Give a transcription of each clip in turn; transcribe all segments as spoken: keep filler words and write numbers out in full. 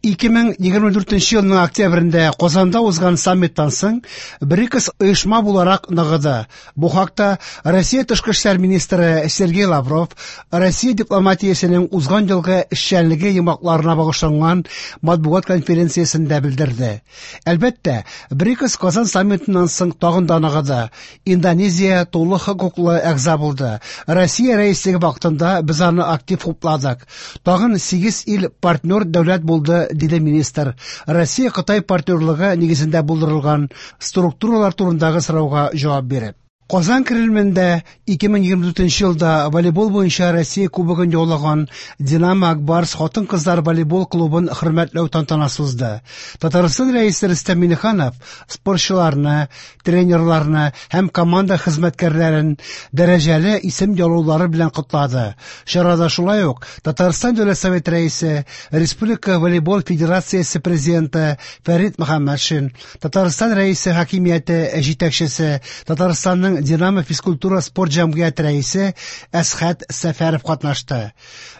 ике мең егерме дүртенче елның октябрендә Казанда узган саммиттан соң БРИКС оешма буларак ныгыды. Бу хакта Россия тышкы эшләр министры Сергей Лавров Россия дипломатиясенең узган елгы эшчәнлеге йомгакларына багышланган матбугат конференциясендә белдерде. Әлбәттә, БРИКС Казан саммитыннан соң тагын да ныгыды. Индонезия тулы хокуклы әгъза булды. Россия рәислеге вакытында без аны актив хупладык. Тагын сигез ил партнер дәүләт булды, диде министр. Россия-Кытай партнерлыгы нигезендә булдырылган структуралар турындагы сорауга җавап биреп. Казан Кремлендә ике мең егерме дүртенче елда волейбол буенча Россия кубогын яулаган Динамо Акбарс хатын-кызлар волейбол клубын хөрмәтләү тантанасы узды. Татарстан рәисе Рөстәм Миңнеханов спортчыларны, тренерларны һәм команда хезмәткәрләрен дәрәҗәле исем яулаулары белән котлады. Чарада шулай ук Татарстан Дәүләт Советы рәисе, Республика волейбол федерациясе президенты Фәрит Мөхәммәтшин, Татарстан рәисе хакимияте җитәкчесе, Татарстанның Динамо физкультура спорт җәмгыяте рәисе Әсхәт Сәфәров катнашты.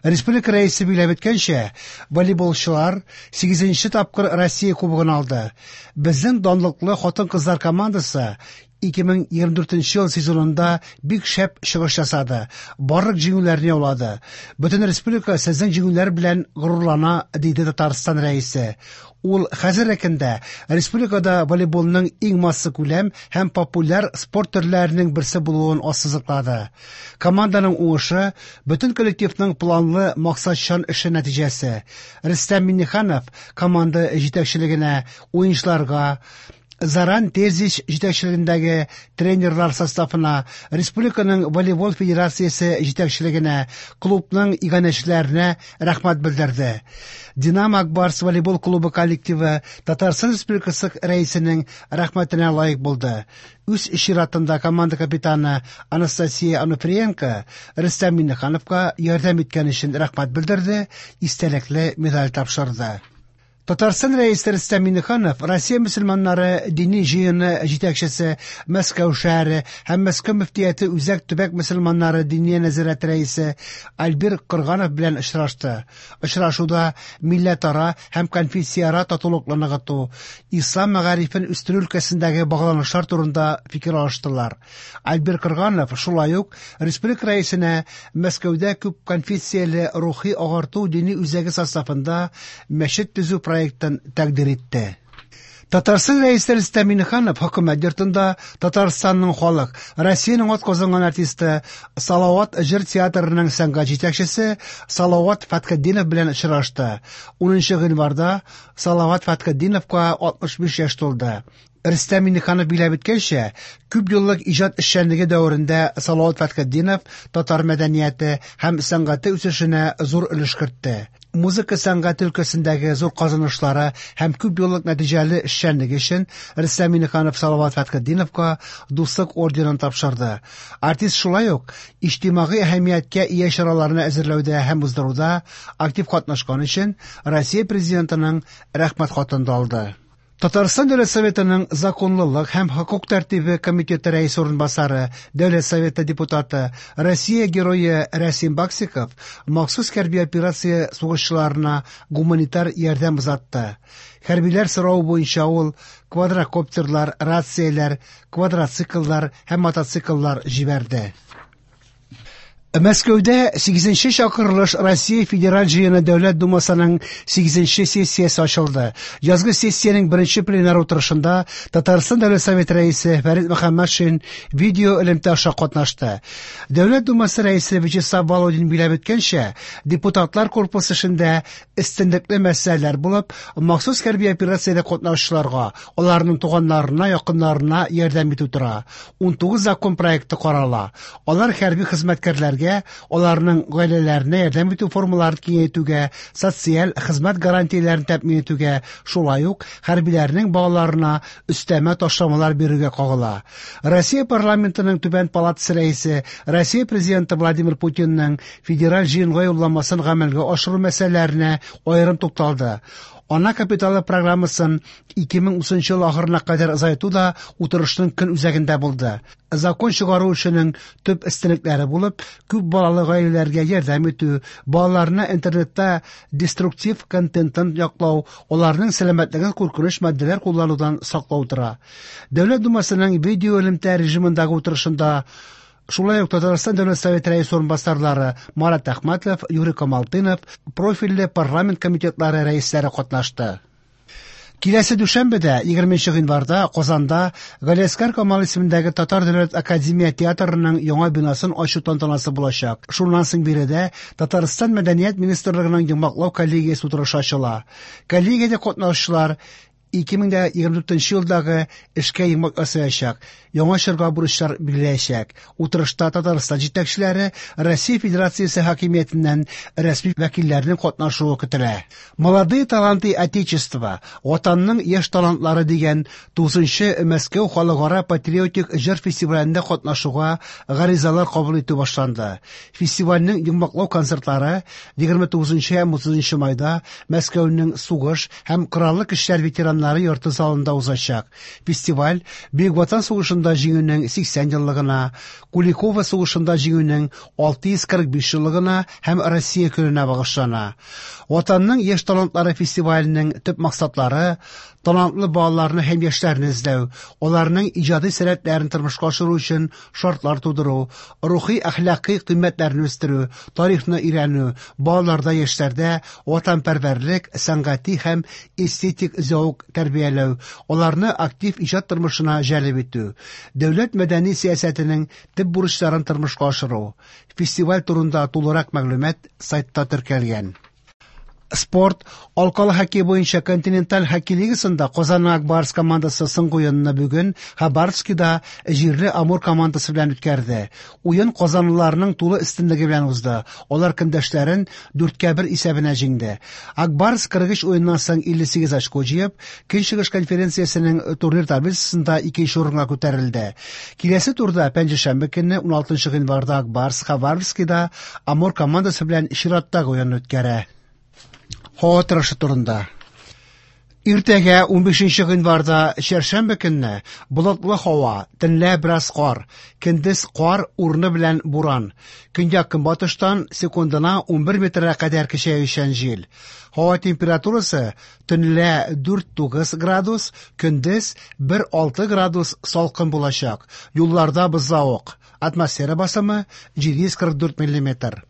Республика рәисе билгеләп үткәнчә, волейболчылар сигезенче тапкыр Россия кубогын алды. Безнең данлыклы хатын-кызлар командасы ике мең егерме дүртенче ел сезонында бик шәп чыгыш ясады, барлык җиңүләрне яулады. Бөтен республика сезнең җиңүләр белән горурлана, диде Татарстан рәисе. Ул хәзерге көндә республикада волейболның иң массакүләм һәм популяр спорт төрләренең берсе булуын ассызыклады. Команданың уңышы бөтен коллективның планлы максатчан эше нәтиҗәсе. Рөстәм Миңнеханов команда җитәкчелегенә, уенчыларга, Заран Терзич җитәкчелегендәге тренерлар составына, Республиканың волейбол федерациясе җитәкчелегенә, клубның иганәчеләренә рәхмәт белдерде. Динамо Акбарс волейбол клубы коллективы Татарстан Республикасы рәисенең рәхмәтенә лаек булды. Үз чиратында команда капитаны Анастасия Ануфриенко Рөстәм Миңнехановка ярдәм иткән өчен рәхмәт белдерде, истәлекле медаль тапшырды. Татарстан рәисе Рөстәм Миңнеханов Россия мөселманнары дини җыены җитәкчесе, Мәскәү шәһәре һәм Мәскәү мөфтияте Үзәк төбәк мөселманнары диния нәзарәте рәисе Альбир Кырганов белән очрашты. Очрашуда милләтара һәм конфессияара татулыкны ныгыту, ислам мәгарифен үстерү өлкәсендәге багланышлар турында фикер алыштылар. Альбир Кырганов шулай ук республика рәисенә Мәскәүдә күп конфессияле рухи агарту дини үзәге составында мәчет төзү проектын тәкъдир итте. Татарстан рәисе Рөстәм Миңнеханов хөкүмәт йортында Татарстанның халык, Россиянең атказанган артисты, Салават җыр театрының сәнгать җитәкчесе Салават Фәтхетдинов белән очрашты. Унынчы гыйнварда Салават Фәтхетдиновка алтмыш биш яшь тулды. Рөстәм Миңнеханов билгеләп үткәнчә, күп еллык иҗат эшчәнлеге дәверендә Салават Фәтхетдинов татар мәдәнияте һәм сәнгате үсешенә зур өлеш кертте. Музыка сәнгате өлкәсендәге зур казанышлары һәм күп еллык нәтиҗәле эшчәнлеге өчен Рөстәм Миңнеханов Салават Фәтхетдиновка Дуслык орденын тапшырды. Артист шулай ук иҗтимагый әһәмияткә ия чараларны әзерләүдә һәм уздыруда актив катнашкан өчен Россия президентының рәхмәт хатын да алды. Татарстан Дәүләт Советының законлылык һәм хокук тәртибе комитеты рәисе урынбасары, Дәүләт Советы депутаты, Россия герое Рәсим Баксиков махсус хәрби операция сугышчыларына гуманитар ярдәм озатты. Хәрбиләр соравы буенча ул квадрокоптерлар, рацияләр, квадроцикллар һәм мотоцикллар җибәрде. Мәскәүдә сигезенче чакырылыш Россия Федераль Җыены Дәүләт Думасының сигезенче сессиясе ачылды. Язгы сессиянең беренче пленар утырышында Татарстан Дәүләт Советы рәисе Фәрит Мөхәммәтшин видео элемтә аша катнашты. Дәүләт Думасы рәисе Вячеслав Володин билгеләп үткәнчә, депутатлар корпусы эшендә өстенлекле мәсьәләләр булып, махсус хәрби операциядә катнашучыларга, аларның туганнарына, якыннарына ярдәм итү тора. Унтугыз закон проекты карала. Алар хәрби хезмәткәрләргә, аларның гаиләләренә ярдәм итү формаларын киңәйтүгә, социаль хезмәт гарантияләрен тәэмин итүгә, шулай ук хәрбиләрнең балаларына өстәмә ташламалар бирүгә кагыла. Россия парламентының түбән палатасы рәисе, Россия президенты Владимир Путинның федераль җыенга юлламасын гамәлгә ашыру мәсьәләләренә аерым тукталды. Ана капиталы программасын ике мең утызынчы ел ахырына кадәр озайту да утырышның көн үзәгендә булды. Закон чыгару эшенең төп өстенлекләре булып, күп балалы гаиләләргә ярдәм итү, балаларны интернетта деструктив контенттан яклау, аларның сәламәтлеген куркыныч матдәләр кулланудан саклау тора. Дәүләт Думасының видео элемтә режимындагы утырышында шулай ук Татарстан Дәүләт Советы рәисе урынбасарлары Марат Әхмәтов, Юрий Камалтынов, профильле парламент комитетлары рәисләре катнашты. Киләсе дүшәмбедә, егерменче гыйнварда, Казанда Галиәсгар Камал исемендәге Татар дәүләт академия театрының яңа бинасын ачу тантанасы булачак. Шуннан соң биредә Татарстан Мәдәният министрлыгының йомгаклау коллегиясе утырышы ачыла. Коллегиядә катнашучылар ике мең егерме дүртенче елдагы эшкә йомгак ясаячак, яңа чорга бурычлар билгеләячәк. Утырышта Татарстан җитәкчеләре Россия Федерациясе хакимиятеннән рәсми вәкилләрнең катнашуы көтелә. Молодые таланты Отечества, Ватанның яшь талантлары дигән тугызынчы Мәскәү халыкара патриотик җыр фестивалендә катнашуга гаризалар кабул итү башланды. Фестивальнең йомгаклау концертлары егерме тугызынчы һәм утызынчы майда Мәскәүнең сугыш һәм кораллы көчләр ветераннары йорты залында узачак. Фестиваль Бөек Ватан сугышында җиңүнең сиксән еллыгына, Куликово сугышында җиңүнең алты йөз кырык биш еллыгына һәм Россия көненә багышлана. Ватанның яшь талантлары фестиваленең төп максатлары талантлы балаларны һәм яшьләрне эзләү, аларның иҗади сәләтләрен тормышка ашыру өчен шартлар тудыру, рухи әхлакый кыйммәтләрне үстерү, тарихны өйрәнү, балаларда, яшьләрдә ватанпәрвәрлек, сәнгати һәм эстетик зәвык тәрбияләү, аларны актив иҗат тормышына җәлеп итү, дәүләт мәдәни сәясәтенең төп бурычларын тормышка ашыру. Фестиваль турында тулырак мәгълүмат сайтта теркәлгән. Спорт. Алкалы хоккей буенча континенталь хоккей лигасында Казанның Ак Барс командасы соңгы уенны бүген Хабаровскида җирле Амур командасы белән үткәрде. Уен казанлыларның тулы өстенлеге белән узды. Алар көндәшләрен дүрткә бер исәбенә җиңде. Ак Барс кырык өч уеннан соң илле сигез очко җыеп, Көнчыгыш конференциясенең турнир таблицасында икенче урынга күтәрелде. Киләсе турда пәнҗешәмбе көнне уналтынчы гыйнварда Ак Барс Хабаровскида Амур командасы белән чираттагы уен үткәрә. Һава торышы турында. Иртәгә унбишенче гыйнварда чәршәмбе көнне болытлы һава, төнлә бераз кар, көндез кар урыны белән буран. Көньяк көнбатыштан секундына унбер метрга кадәр көчәючән җил. Һава температурасы төнлә дүрт тугыз градус, көндез бер алты градус салкын булачак. Юлларда бозлавык. Атмосфера басымы җиде йөз кырык дүрт миллиметр.